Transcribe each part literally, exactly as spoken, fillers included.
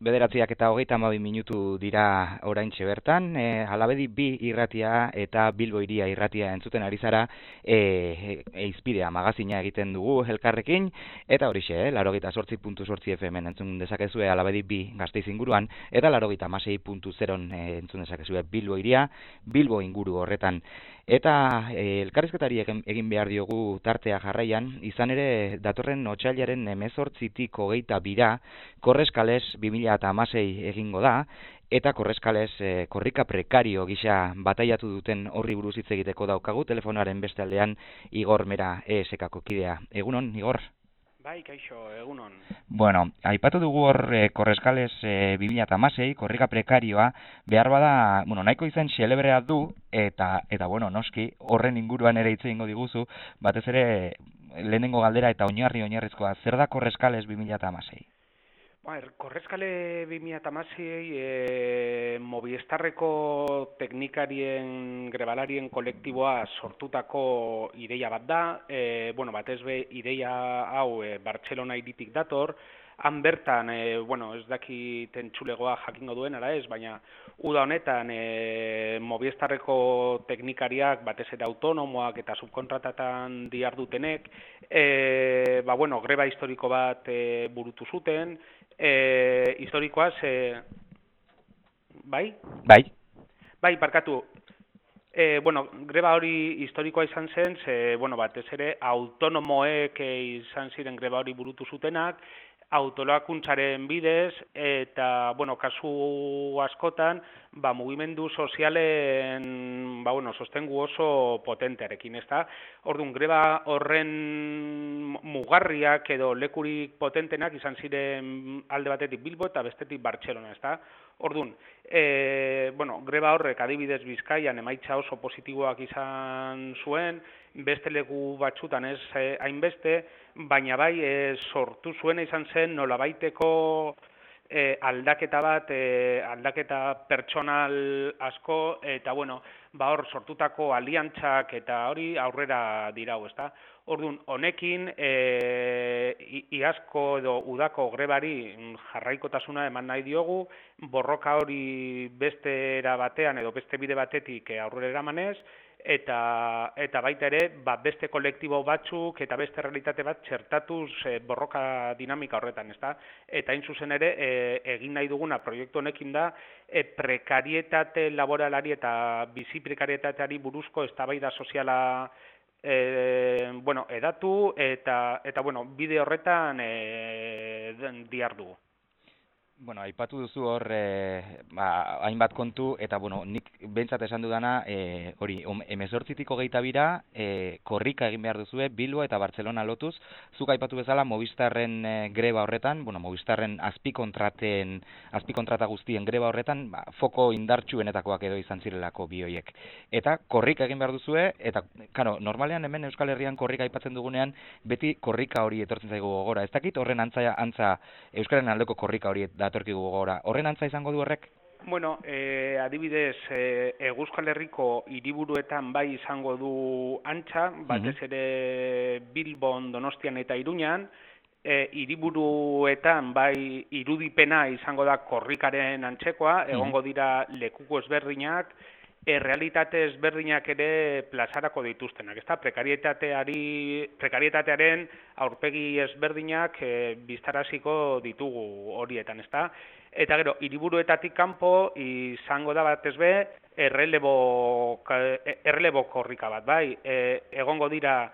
Bederatziak eta hogeita hamabi minutu dira oraintxe bertan, e, Alabedi bi irratia eta Bilbo hiria irratia entzuten ari zara, e, eizpidea magazina egiten dugu elkarrekin, eta horixe, eh, laurogeita zortzi puntu zortzi F M entzun dezakezue Alabedi bi Gasteiz inguruan, eta laurogeita hamasei puntu zeron e, entzun dezakezue Bilbo hiria, Bilbo inguru horretan. Eta e, elkarrizketari egin, egin behar diogu tartea jarraian, izan ere datorren otsailaren hemezortzitik hogeita bira, Korreskales bi mila hamasei egingo da, eta Korreskales e, korrika prekario gisa bataiatu duten horri buruz hitz egiteko daukagu telefonaren beste aldean Igor Mera E S K-ko kidea. Egunon, Igor? Bai, kaixo, egunon. Bueno, aipatu dugu hor e, Korreskales e, bi mila hamasei, korrika prekarioa, behar bada, bueno, nahiko izen xelebrea du, eta, eta bueno, noski, horren inguruan ere hitz egingo diguzu, batez ere lehenengo galdera eta oinarri oinarrizkoa, zer da Korreskales bi mila hamasei? Ba, Korreskale bi mila hamasei e, Movistarreko teknikarien grebalarien kolektiboa sortutako ideia bat da. E, bueno, batez be ideia hau e, Bartzelona hiritik dator. Han bertan, e, bueno, ez dakit entzulegoa jakingo duen, ara ez, baina uda honetan e, Movistarreko teknikariak batez ere autonomoak eta subkontratatan dihardutenek, e, ba, bueno, greba historiko bat e, burutu zuten. E, historikoa, ze... Bai? Bai. Bai, barkatu. E, bueno, greba hori historikoa izan zen, ze, bueno, batez ere autonomoek izan ziren greba hori burutu zutenak, autolakuntzaren bidez, eta, bueno, kasu askotan, ba, mugimendu sozialen, ba, bueno, sostengu oso potentearekin, ez da? Orduan, greba horren mugarriak edo lekurik potentenak izan ziren alde batetik Bilbo eta bestetik Bartzelona, ez da? Orduan, e, bueno, greba horrek adibidez Bizkaian emaitza oso positiboak izan zuen, beste leku batzutan ez eh, hainbeste, baina bai e, sortu zuena izan zen nolabaiteko e, aldaketa bat, e, aldaketa pertsonal asko, eta bueno, ba hor sortutako aliantzak eta hori aurrera dirau, ezta? Orduan, honekin e, iazko edo udako grebari jarraikotasuna eman nahi diogu, borroka hori beste era batean edo beste bide batetik aurrera eramanez, eta eta baita ere ba, beste kolektibo batzuk eta beste realitate bat txertatuz e, borroka dinamika horretan, ezta? Eta hain zuzen ere e, egin nahi duguna proiektu honekin da e, prekarietate laboralari eta bizi prekarietateari buruzko eztabaida soziala e, bueno, edatu eta eta bueno, bide horretan e, dihardugu. Bueno, aipatu duzu hor e, ba, hainbat kontu, eta bueno, nik behintzat esan dudana, e, hori, hemezortzitik hogeita bira, e, korrika egin behar duzue, Bilbo eta Bartzelona lotuz, zuk aipatu bezala Movistarren e, greba horretan, bueno, Movistarren azpikontraten, azpikontrata guztien greba horretan, ba, foko indartsuenetakoak edo izan zirelako bi horiek. Eta korrika egin behar duzue, eta, karo, normalean hemen Euskal Herrian korrika aipatzen dugunean, beti korrika hori etortzen zaigu gogora. Ez dakit horren antza, antza Euskararen aldeko korrika hori datorkigu gogora. Horren antza izango du horrek? Bueno, eh, adibidez, eh, Euskal Herriko hiriburuetan bai izango du antza, batez ere Bilbon, Donostian eta Iruñan, eh, hiriburuetan bai irudipena izango da korrikaren antzekoa, egongo dira lekuko ezberdinak, errealitate ezberdinak ere plazarako dituztenak, ezta? Prekarietateari, prekarietatearen aurpegi ezberdinak e, biztaraziko ditugu horietan, ezta? Eta gero, hiriburuetatik kanpo izango da batez be errelebo, errelebo korrika bat, bai? E, egongo dira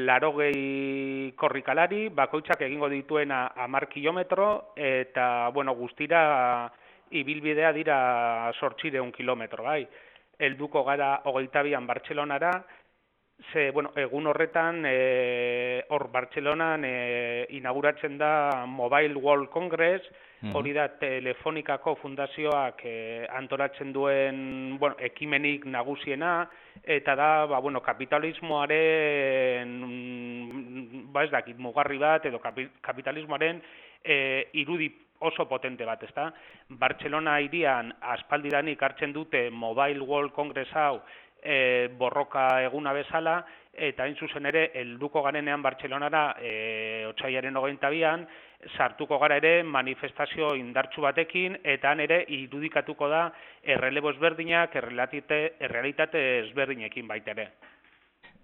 larogei korrikalari, bakoitzak egingo dituena hamar kilometro, eta, bueno, guztira ibilbidea dira zortziehun kilometro, bai? Helduko gara hogeita bian Bartzelonara, ze, bueno, egun horretan, e, hor Bartzelonan e, inauguratzen da Mobile World Congress, hori da Telefonikako fundazioak e, antolatzen duen, bueno, ekimenik nagusiena, eta da, ba, bueno, kapitalismoaren, ba ez dakit, mugarri bat, edo kapitalismoaren e, irudi oso potente bat, ezta? Bartzelona hirian aspaldidanik hartzen dute Mobile World Congress hau e, borroka eguna bezala, eta hain zuzen ere helduko garenean Bartzelonara e, otsailaren hogeita bian, sartuko gara ere manifestazio indartsu batekin, eta han ere irudikatuko da errelebo ezberdinak, errealitate ezberdinekin baita ere.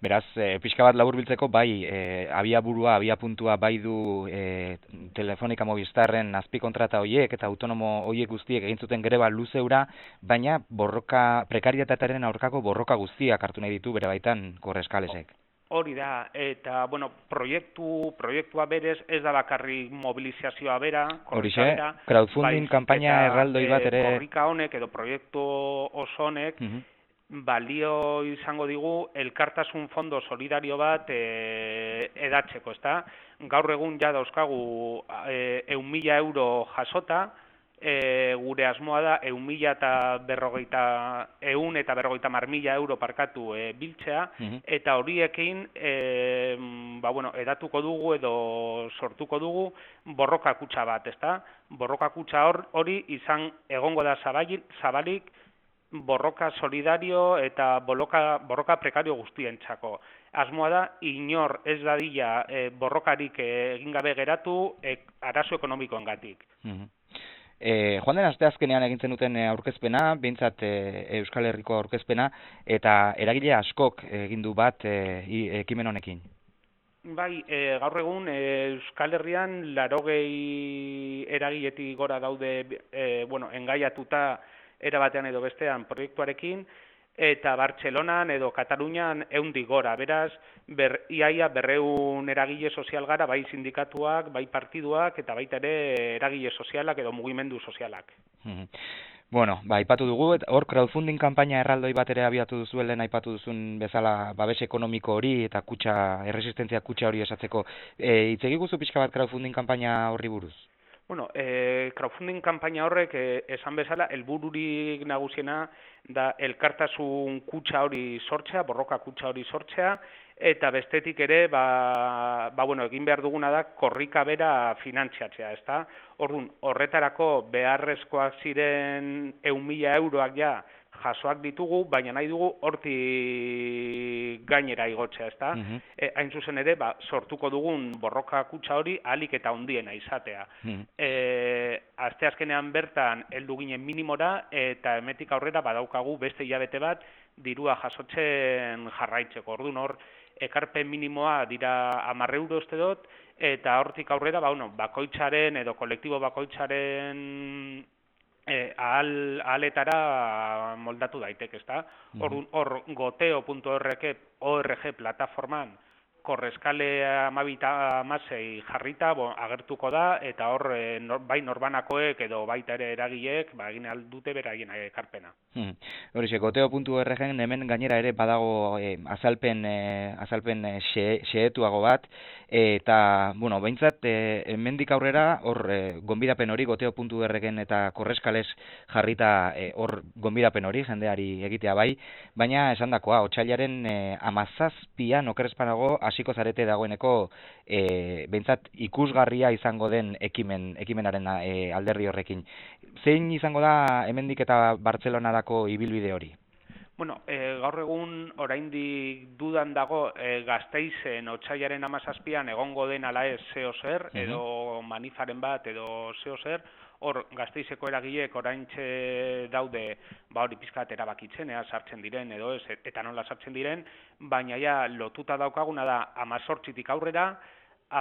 Beraz, e, pixka bat laburbiltzeko, bai, e, abiaburua, abiapuntua bai du e, Telefonica Movistarren azpikontrata horiek eta autonomo horiek guztiek egin zuten greba luzeura, baina borroka, prekarietatearen aurkako borroka guztiak hartu nahi ditu bere baitan Korreskalesek. Hori da, eta, bueno, proiektu, proiektua berez ez da bakarrik mobilizazioa bera, Horixe, crowdfunding kanpaina erraldoi bat ere... Korrika honek edo proiektu oso honek, uh -huh. balio izango digu elkartasun fondo solidario bat e, edatzeko, ezta? Gaur egun ja dauzkagu e, eun mila euro jasota, e, gure asmoa da eun mila eta berrogeita, eun eta berrogeita mar mila euro parkatu e, biltzea, uh-huh. eta horiekin e, ba, bueno, edatuko dugu edo sortuko dugu borroka kutxa bat, ezta? Borroka kutxa hor, hori izan egongo da zabalik, zabalik borroka solidario eta borroka, borroka prekario guztientzako. Asmoa da, inor ez dadila e, borrokarik egin gabe geratu e, arazo ekonomikoengatik. Uh-huh. E, joan den asteazkenean egin zenuten aurkezpena, behintzat e, Euskal Herriko aurkezpena, eta eragile askok egin du bat e, ekimen honekin. Bai, e, gaur egun e, Euskal Herrian larogei eragiletik gora daude e, bueno, engaiatuta era batean edo bestean proiektuarekin, eta Bartzelonan edo Katalunian ehundik gora. Beraz, ber, iaia berreun eragile sozial gara, bai sindikatuak, bai partiduak, eta baita ere eragile sozialak edo mugimendu sozialak. Mm-hmm. Bueno, ba, aipatu dugu, hor crowdfunding kanpaina erraldoi bat ere abiatu duzuelen, aipatu duzun bezala babes ekonomiko hori eta kutxa, erresistentzia kutxa hori esatzeko. E, Itz egiguzu pixka bat crowdfunding kanpaina horri buruz? Bueno, eh, crowdfunding kanpaina horrek eh, esan bezala helbururik nagusiena da elkartasun kutxa hori sortzea, borroka kutxa hori sortzea, eta bestetik ere, ba, ba bueno, egin behar duguna da korrika bera finantziatzea, ezta? Orduan, horretarako beharrezkoak ziren ehun mila euroak ja jasoak ditugu, baina nahi dugu hortik gainera igotzea, ezta? Uh-huh. E, hain zuzen ere, ba, sortuko dugun borroka kutxa hori ahalik eta handiena izatea. Uh-huh. E, asteazkenean bertan heldu ginen minimora, eta hemetik aurrera badaukagu beste hilabete bat dirua jasotzen jarraitzeko. Orduan hor, ekarpen minimoa dira hamar euro uste dut, eta hortik aurrera, ba, bueno, bakoitzaren edo kolektibo bakoitzaren E, ahal, ahaletara moldatu daiteke, ezta? Hor, hor goteo puntu org plataforman Korreskale amabita amasei jarrita bo, agertuko da, eta hor e, nor, bai norbanakoek edo baita ere eragileek ba, egin aldute beraien ekarpena. Hmm. Horixe, goteo puntu orgen hemen gainera ere badago e, azalpen, e, azalpen e, xe, xeetuago bat, e, eta, bueno, behintzat, e, hemendik aurrera, hor e, gonbidapen hori, goteo puntu orgen eta Korreskales jarrita e, hor gonbidapen hori, jendeari egitea bai, baina esan dakoa, otsailaren e, amazazpian okerrezpanago, hasiko zarete dagoeneko e, behintzat ikusgarria izango den ekimen, ekimenaren e, alderdi horrekin. Zein izango da hemendik eta Bartzelonarako ibilbide hori? Bueno, e, gaur egun oraindik dudan dago e, Gasteizen otsailaren hamazazpian egongo den ala ez zeo zer, uh-huh. edo manifaren bat edo zeo zer, hor Gasteizeko eragileek oraintxe daude, ba hori pizkat erabakitzen, ea sartzen diren edo ez, eta nola sartzen diren, baina ja lotuta daukaguna da hamazortzitik aurrera,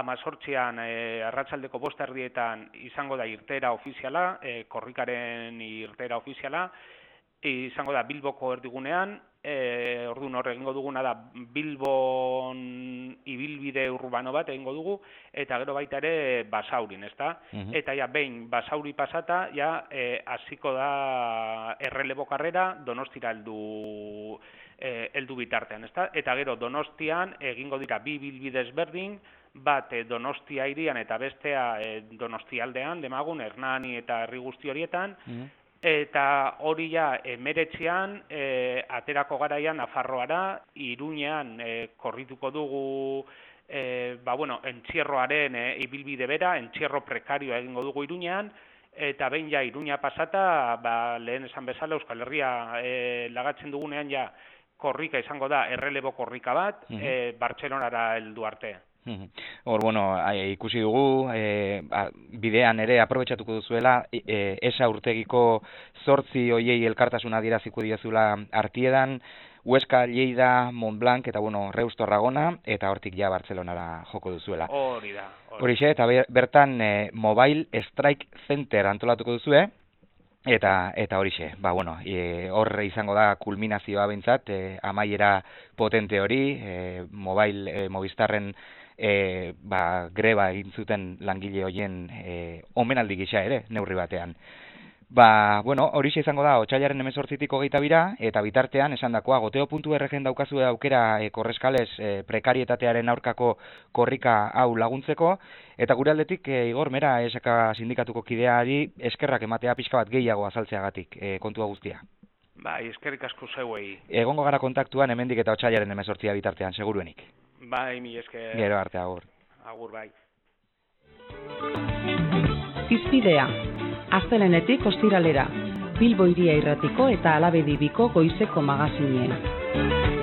hamazortzian e, arratsaldeko bost erdietan izango da irteera ofiziala, e, korrikaren irteera ofiziala, izango da Bilboko erdigunean, e, orduan hor egingo duguna da Bilbon ibilbide urbano bat egingo dugu, eta gero baita ere Basaurin, ezta? Uh-huh. Eta ja behin Basauri pasata, ja hasiko e, da errelebo karrera Donostira heldu e, heldu bitartean, ezta? Eta gero Donostian egingo dira bi bilbide ezberdin, bat e, Donostia hirian eta bestea e, Donostialdean, demagun Hernani eta herri guzti horietan, uh-huh. Eta hori ja emeretzean e, aterako garaian Nafarroara, Iruñean e, korrituko dugu e, ba, bueno, entzierroaren e, ibilbide bera, entzierro prekarioa egingo dugu Iruñean, eta behin ja Iruña pasata, ba, lehen esan bezala Euskal Herria e, lagatzen dugunean ja korrika izango da errelebo korrika bat, uh-huh. e, Bartzelonara heldu arte. Hor, bueno, ikusi dugu, e, bidean ere aprobetxatuko duzuela, e, esa urtegiko zortzi hoiei elkartasuna adieraziko diozula Artiedan, Huesca, Lleida, Montblanc eta, bueno, Reus Torragona, eta hortik ja Bartzelonara joko duzuela. Hori da. Horixe, eta bertan e, Mobile Strike Center antolatuko duzue, eta eta horixe, ba, bueno, e, hor izango da kulminazioa behintzat, e, amaiera potente hori, e, mobile, e, Movistarren E, ba, greba egin zuten langile hoien e, omenaldi gisa ere, neurri batean. Ba, bueno, horixe izango da, otsailaren hemezortzitik hogeita bira, eta bitartean, esan dakoa, goteo puntu erregen daukazue aukera e, korreskales e, prekarietatearen aurkako korrika hau laguntzeko, eta gure aldetik, e, Igor, mera, esaka sindikatuko kideari eskerrak ematea pixka bat gehiago azaltzeagatik e, kontua guztia. Bai, eskerrik asko zeuei. Egongo gara kontaktuan hemendik eta otsailaren hemezortzia bitartean, seguruenik. Bai, mi esker. Gero arte, agur. Agur, bai. Hizpidea, astelehenetik ostiralera, Bilbo Hiria Irratiko eta Alabedi Biko goizeko magazinean.